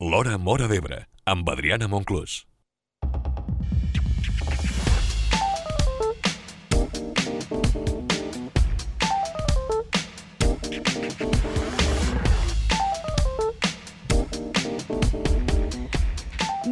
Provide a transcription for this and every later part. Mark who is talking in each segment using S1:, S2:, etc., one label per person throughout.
S1: L'Hora Móra d'Ebre, amb Adriana Monclús.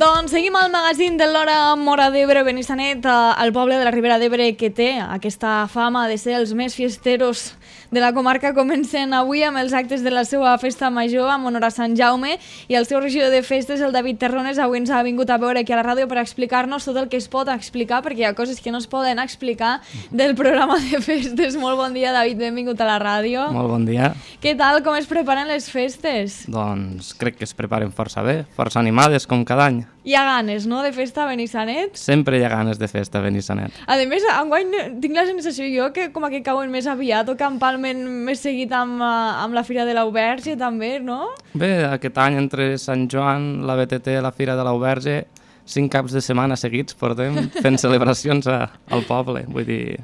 S2: Doncs seguim al magazín de l'Hora Móra d'Ebre, Benissanet, el poble de la Ribera d'Ebre que té aquesta fama de ser els més fiesteros de la comarca. Comencen avui amb els actes de la seva festa major en honor a Sant Jaume, i el seu regidor de festes, el David Terrones, avui ens ha vingut a veure aquí a la ràdio per explicar-nos tot el que es pot explicar, perquè hi ha coses que no es poden explicar del programa de festes. Molt bon dia, David, benvingut a la ràdio.
S3: Molt bon dia.
S2: Què tal, com es preparen les festes?
S3: Doncs crec que es preparen força bé, força animades, com cada any.
S2: Hi ha ganes, no?, de festa a Benissanet?
S3: Sempre hi ha ganes de festa a Benissanet.
S2: A més, enguany tinc la sensació jo que com que cauen més aviat o que empalmen més seguit amb la Fira de l'Auberge també, no?
S3: Bé, aquest any entre Sant Joan, la BTT i la Fira de l'Auberge, 5 caps de setmana seguits portem fent celebracions al poble, vull dir...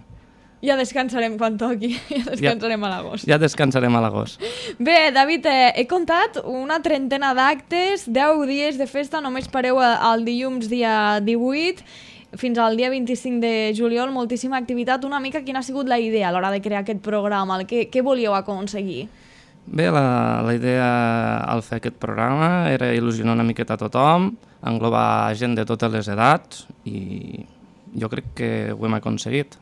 S2: Ja descansarem quan toqui, ja descansarem a l'agost.
S3: Ja descansarem a l'agost.
S2: Bé, David, he comptat una trentena d'actes, 10 dies de festa, només pareu el dilluns dia 18, fins al dia 25 de juliol, moltíssima activitat. Una mica quina ha sigut la idea a l'hora de crear aquest programa? Què volíeu aconseguir?
S3: Bé, la idea al fer aquest programa era il·lusionar una miqueta a tothom, englobar gent de totes les edats, i jo crec que ho hem aconseguit.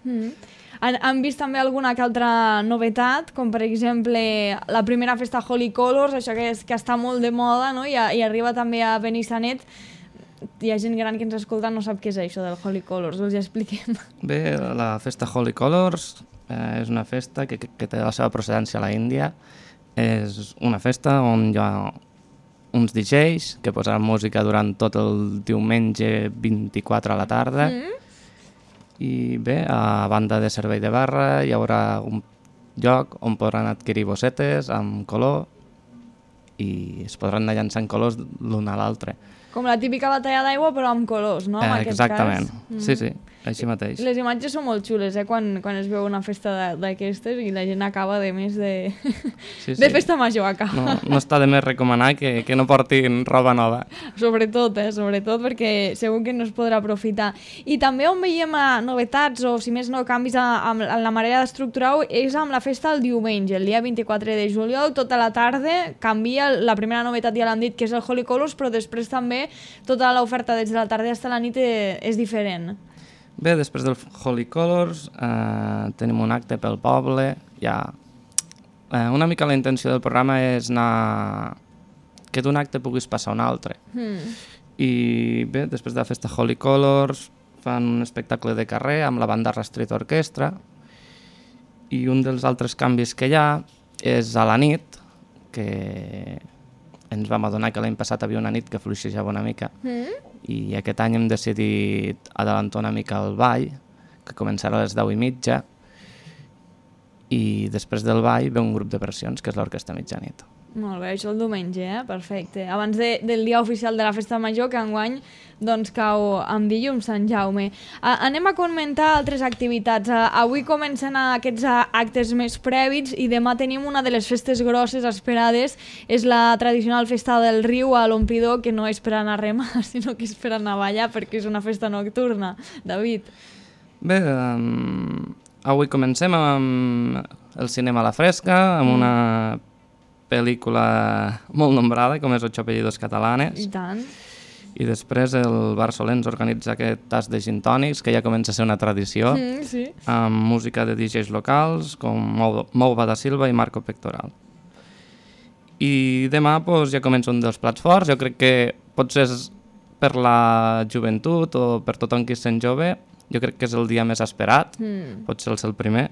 S2: Han vist també alguna que altra novetat, com per exemple la primera festa Holy Colors, això que està molt de moda, no? I arriba també a Benissanet. Hi ha gent gran que ens escolta, no sap què és això del Holy Colors, us hi expliquem.
S3: Bé, la festa Holy Colors és una festa que té la seva procedència a la Índia. És una festa on hi ha uns DJs que posaran música durant tot el diumenge 24 a la tarda. I bé, a banda de servei de barra hi haurà un lloc on podran adquirir bossetes amb color i es podran anar llançant colors l'un a l'altre.
S2: Com la típica batalla d'aigua però amb colors, no? En
S3: Exactament,
S2: aquest cas.
S3: sí, així mateix.
S2: Les imatges són molt xules, quan es veu una festa d'aquestes i la gent acaba de més de... de festa major acaba.
S3: No està de més recomanar que no portin roba nova.
S2: Sobretot, perquè segur que no es podrà aprofitar. I també on veiem novetats o, si més no, canvis en la manera d'estructurar-ho és amb la festa el diumenge, el dia 24 de juliol, tota la tarda canvia. La primera novetat ja l'han dit, que és el Holy Colors, però després també tota l'oferta des de la tarda fins a la nit és diferent.
S3: Bé, després del Holy Colors tenim un acte pel poble. Una mica la intenció del programa és anar... que d'un acte puguis passar a un altre. I bé, després de la festa Holy Colors fan un espectacle de carrer amb la banda Rastret Orquestra, i un dels altres canvis que hi ha és a la nit, que ens vam adonar que l'any passat havia una nit que fluixejava una mica, i aquest any hem decidit adelantar una mica el ball, que començarà a les 10:30, i després del ball ve un grup de versions, que és l'Orquestra Mitjanit.
S2: Molt bé, això el diumenge, perfecte. Abans del dia oficial de la festa major, que enguany doncs cau amb dilluns Sant Jaume. Anem a comentar altres activitats. Avui comencen aquests actes més prèvits i demà tenim una de les festes grosses esperades. És la tradicional festa del riu a l'Omplidor, que no és per anar a remar, sinó que és per anar a ballar, perquè és una festa nocturna. David.
S3: Bé, avui comencem amb el cinema a la fresca, amb una pel·lícula molt nombrada, com és Ocho apellidos catalanes.
S2: I tant.
S3: I després el Bar Solens organitza aquest tas de gin tònics, que ja comença a ser una tradició,
S2: Sí.
S3: amb música de DJs locals, com Mouva da Silva i Marco Pectoral. I demà ja comença un dels plats forts. Jo crec que potser és per la joventut o per tothom qui es sent jove, jo crec que és el dia més esperat, potser el primer.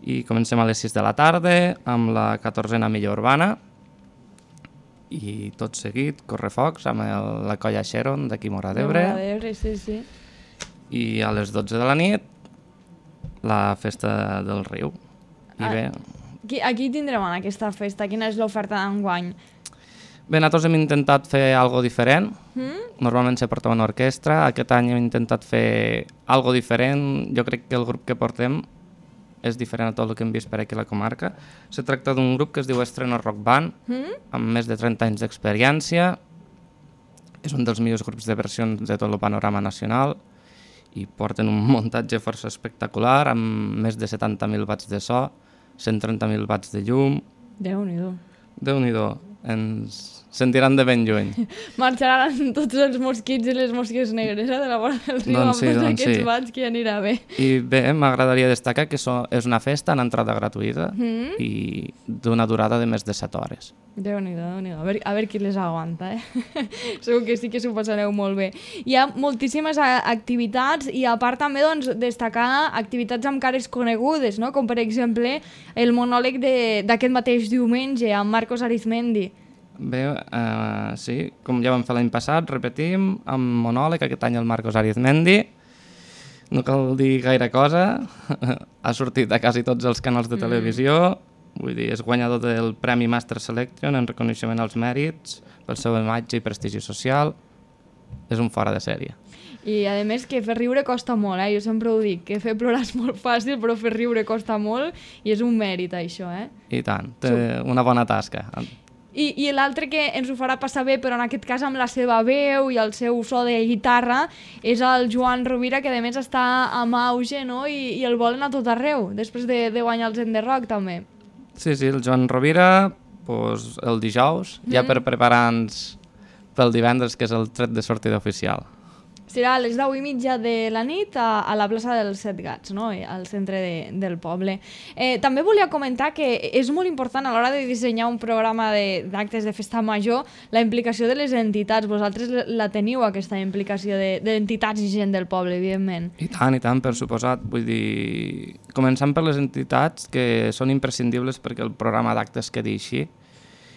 S3: I comencem a les 6 de la tarda amb la 14a Milla Urbana i tot seguit Correfocs amb la colla Xeron d'aquí Móra d'Ebre.
S2: Sí.
S3: I a les 12 de la nit la festa del riu. I bé...
S2: Aquí tindrem en aquesta festa? Quina és l'oferta d'enguany?
S3: Bé, nosaltres hem intentat fer algo diferent. Normalment se porta una orquestra. Aquest any hem intentat fer algo diferent. Jo crec que el grup que portem és diferent a tot el que hem vist per aquí a la comarca. Se tracta d'un grup que es diu Estreno Rock Band, amb més de 30 anys d'experiència, és un dels millors grups de versions de tot el panorama nacional i porten un muntatge força espectacular amb més de 70.000 watts de so, 130.000 watts de llum.
S2: Déu-n'hi-do.
S3: Déu-n'hi-do, ens sentiran de ben lluny.
S2: Marxaran tots els mosquits i les mosques negres de la vora del riu amb tots aquests watts, que ja anirà bé.
S3: I bé, m'agradaria destacar que és una festa en entrada gratuïta i d'una durada de més de 7 hores.
S2: Déu-n'hi-do, Déu-n'hi-do. A veure qui les aguanta, Segur que sí que s'ho passareu molt bé. Hi ha moltíssimes activitats i a part també destacar activitats amb cares conegudes, no? Com per exemple el monòleg d'aquest mateix diumenge amb Marcos Arizmendi.
S3: Bé, sí, com ja vam fer l'any passat, repetim, amb monòleg, aquest any el Marcos Arizmendi. No cal dir gaire cosa, ha sortit a quasi tots els canals de televisió, vull dir, és guanyador del Premi Master Selection en reconeixement als mèrits, pel seu imatge i prestigi social, és un fora de sèrie.
S2: I a més que fer riure costa molt, jo sempre ho dic, que fer plorar és molt fàcil, però fer riure costa molt i és un mèrit això,
S3: I tant, té una bona tasca.
S2: I l'altre que ens ho farà passar bé, però en aquest cas amb la seva veu i el seu so de guitarra, és el Joan Rovira, que a més està amb auge, no? I el volen a tot arreu, després de guanyar el Zen de Rock també.
S3: Sí, el Joan Rovira, doncs, el dijous, ja per preparar-nos pel divendres, que és el tret de sortida oficial.
S2: Serà a les 10:30 de la nit a la plaça dels Set Gats, no? Al centre del poble. També volia comentar que és molt important a l'hora de dissenyar un programa d'actes de festa major la implicació de les entitats. Vosaltres la teniu, aquesta implicació d'entitats i gent del poble, evidentment.
S3: I tant, per suposat. Vull dir, començant per les entitats, que són imprescindibles perquè el programa d'actes quedi així,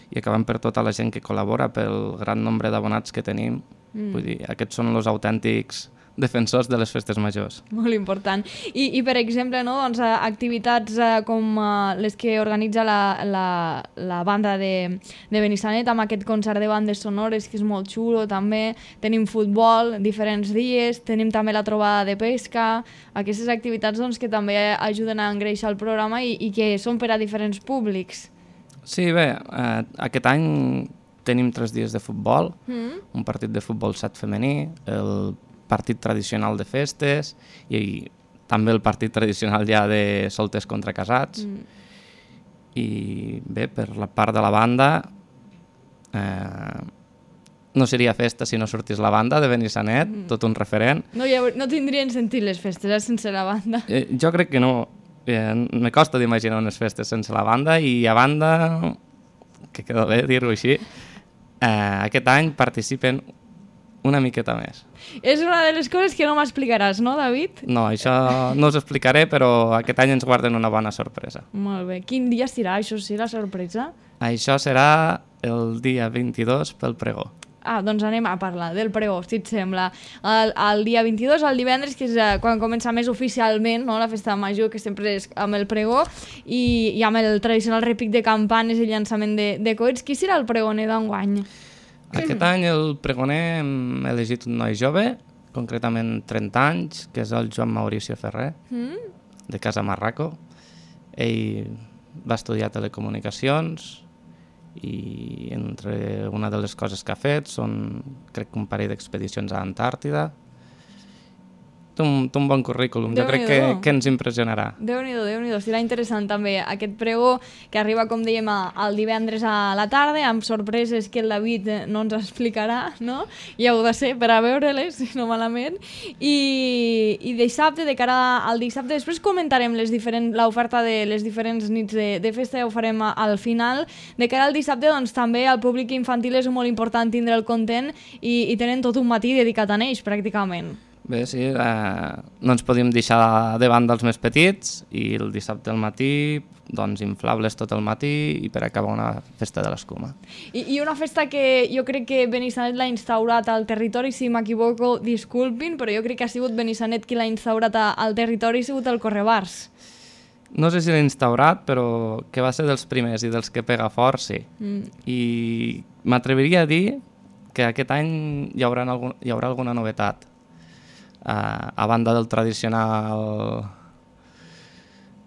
S3: i acabant per tota la gent que col·labora, pel gran nombre d'abonats que tenim. Vull dir, aquests són els autèntics defensors de les festes majors.
S2: Molt important. I per exemple, no, doncs, activitats com les que organitza la banda de Benissanet amb aquest concert de bandes sonores que és molt xulo també. Tenim futbol diferents dies, tenim també la trobada de pesca, aquestes activitats doncs, que també ajuden a engreixar el programa i que són per a diferents públics.
S3: Sí, bé, aquest any tenim 3 dies de futbol, un partit de futbol 7 femení, el partit tradicional de festes i també el partit tradicional ja de solters contra casats. I bé, per la part de la banda, no seria festa si no sortís la banda de Benissanet, tot un referent.
S2: No tindrien sentit les festes sense la banda.
S3: Jo crec que no. Me costa d'imaginar unes festes sense la banda i a banda, que queda bé dir-ho així, aquest any participen una miqueta més.
S2: És una de les coses que no m'explicaràs, no, David?
S3: No, això no us explicaré, però aquest any ens guarden una bona sorpresa.
S2: Molt bé. Quin dia serà, això sí, la sorpresa?
S3: Això serà el dia 22 pel pregó.
S2: Doncs anem a parlar del pregó, si et sembla. El dia 22, el divendres, que és quan comença més oficialment, no? La festa major, que sempre és amb el pregó, i amb el tradicional repic de campanes i llançament de coets. Qui serà el pregoner d'enguany?
S3: Aquest any el pregoner hem elegit un noi jove, concretament 30 anys, que és el Joan Mauricio Ferrer, de Casa Marraco. Ell va estudiar telecomunicacions i entre una de les coses que ha fet són, crec que un parell d'expedicions a Antàrtida. Té un bon currículum, jo crec que ens impressionarà.
S2: Déu-n'hi-do, Déu-n'hi-do, serà interessant també aquest pregó que arriba, com dèiem, el divendres a la tarda, amb sorpreses que el David no ens explicarà, no? Ja ho de ser per a veure-les, si no malament. I dissabte, de cara al dissabte, després comentarem l'oferta de les diferents nits de festa, ja ho farem al final. De cara al dissabte, doncs també el públic infantil és molt important tindre el content i tenen tot un matí dedicat a ells, pràcticament.
S3: Bé, sí, no ens podíem deixar de banda els més petits i el dissabte al matí, doncs inflables tot el matí i per acabar una festa de l'escuma.
S2: I una festa que jo crec que Benissanet l'ha instaurat al territori, si m'equivoco, disculpin, però jo crec que ha sigut Benissanet qui l'ha instaurat al territori, ha sigut el Correbars.
S3: No sé si l'ha instaurat, però que va ser dels primers i dels que pega fort, sí. I m'atreviria a dir que aquest any hi haurà alguna novetat. A banda del tradicional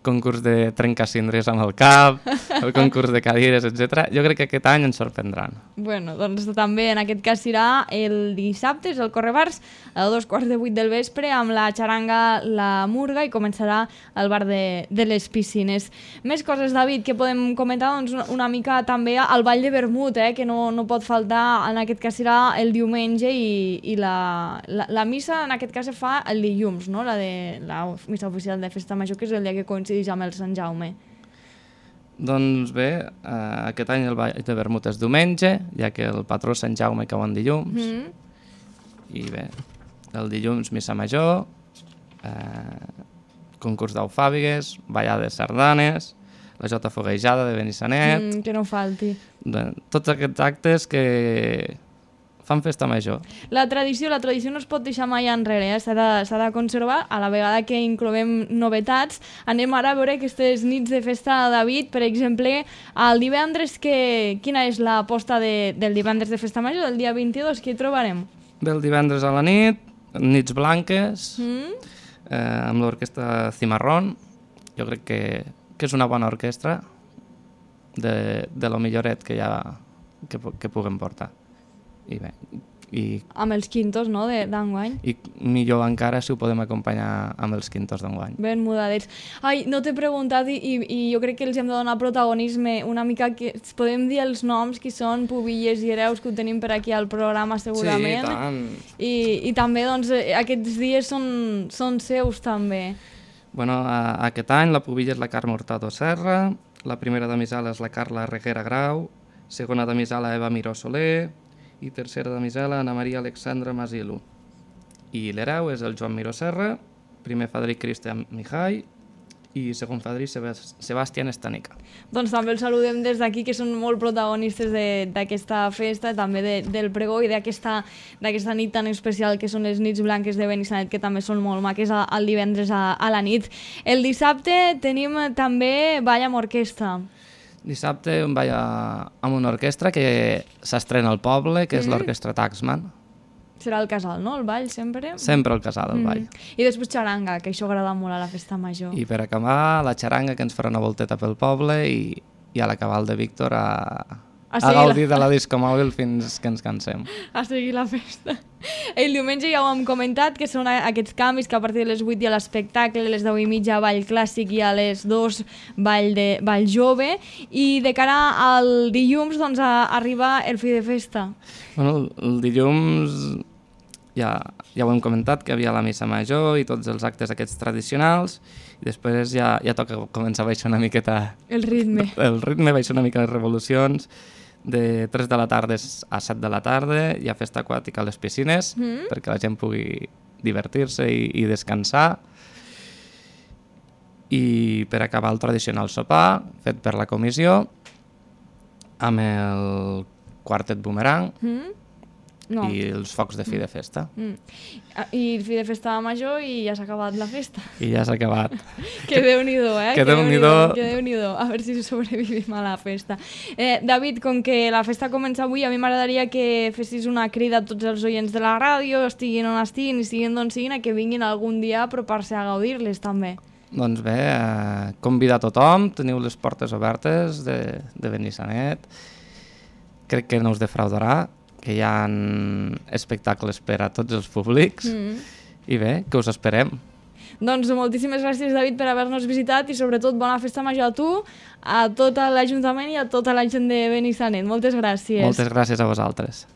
S3: concurs de trencacindres amb el cap, el concurs de cadires, etc. Jo crec que aquest any ens sorprendran.
S2: Bueno, doncs també en aquest cas serà el dissabte, és el Correbars, a 2:15 del vespre, amb la xaranga La Murga, i començarà al bar de les piscines. Més coses, David, que podem comentar? Doncs una mica també el ball de vermut, que no pot faltar. En aquest cas serà el diumenge, i la missa en aquest cas se fa el dilluns, no? La missa oficial de Festa Major, que és el dia que coincideix amb el Sant Jaume.
S3: Doncs bé, aquest any el ball de vermut és diumenge, ja que el patró Sant Jaume cau en dilluns. I bé, el dilluns missa major, concurs d'aufàbigues, ballades sardanes, la jota foguejada de Benissanet...
S2: Que no falti.
S3: Tots aquests actes que fan festa major.
S2: La tradició no es pot deixar mai enrere, s'ha de conservar. A la vegada que incloem novetats, anem ara a veure aquestes nits de festa, David. Per exemple, el divendres, quina és l'aposta del divendres de festa major, del dia 22? Què hi trobarem?
S3: Bé, el divendres a la nit, nits blanques, amb l'orquestra Cimarrón. Jo crec que és una bona orquestra, de lo milloret que puguem portar. I bé,
S2: amb els quintos, no?, d'enguany.
S3: I millor encara si ho podem acompanyar amb els quintos d'enguany.
S2: Ben mudadets. Ai, no t'he preguntat, i jo crec que els hem de donar protagonisme una mica, que podem dir els noms, que són pubilles i hereus, que ho tenim per aquí al programa segurament.
S3: Sí, tant.
S2: I també, doncs, aquests dies són seus també.
S3: Bueno, aquest any la pubilla és la Carme Hurtado Serra, la primera damisela és la Carla Reguera Grau, segona damisela Eva Miró Soler, i tercera damisela Ana Maria Alexandra Masilu. I l'hereu és el Joan Miró Serra, primer fadrí Cristian Mihai i segon fadrí Sebastián Estanica.
S2: Doncs també els saludem des d'aquí, que són molt protagonistes d'aquesta festa, també del pregó i d'aquesta nit tan especial que són les nits blanques de Benissanet, que també són molt maques el divendres a la nit. El dissabte tenim també ball amb orquestra.
S3: Dissabte un ball amb una orquestra que s'estrena al poble, que és l'orquestra Taxman.
S2: Serà el casal, no? El ball, sempre?
S3: Sempre el casal, el ball.
S2: I després xaranga, que això agrada molt a la festa major.
S3: I per acabar, la xaranga, que ens farà una volteta pel poble, i a l'acabar el de Víctor a gaudir de la disco mòbil fins que ens cansem.
S2: A seguir la festa. El diumenge ja ho hem comentat, que són aquests canvis, que a partir de les 8 hi ha l'espectacle, a les 10:30 ball clàssic i a les 2 ball jove, i de cara al dilluns doncs arriba el fi de festa.
S3: Bueno, el dilluns ja ho hem comentat, que havia la missa major i tots els actes aquests tradicionals, i després ja toca començar a baixar una miqueta
S2: el ritme,
S3: baixar una mica les revolucions. De 3 de la tarda a 7 de la tarda hi ha festa aquàtica a les piscines, perquè la gent pugui divertir-se i descansar. I per acabar, el tradicional sopar fet per la comissió amb el quartet Boomerang i els focs de fi de festa.
S2: I el fi de festa major, i ja s'ha acabat la festa.
S3: I ja s'ha acabat.
S2: Que Déu-n'hi-do,
S3: Que Déu-n'hi-do.
S2: Que Déu-n'hi-do. A veure si sobrevivim a la festa. David, com que la festa comença avui, a mi m'agradaria que fessis una crida a tots els oients de la ràdio, estiguin on estiguin i siguin d'on siguin, a que vinguin algun dia a apropar-se a gaudir-les també.
S3: Doncs bé, convidar a tothom, teniu les portes obertes de Benissanet. Crec que no us defraudarà, que hi ha espectacles per a tots els públics, i bé, que us esperem.
S2: Doncs moltíssimes gràcies, David, per haver-nos visitat, i sobretot bona festa major a tu, a tot l'Ajuntament i a tota la gent de Benissanet. Moltes gràcies.
S3: Moltes gràcies a vosaltres.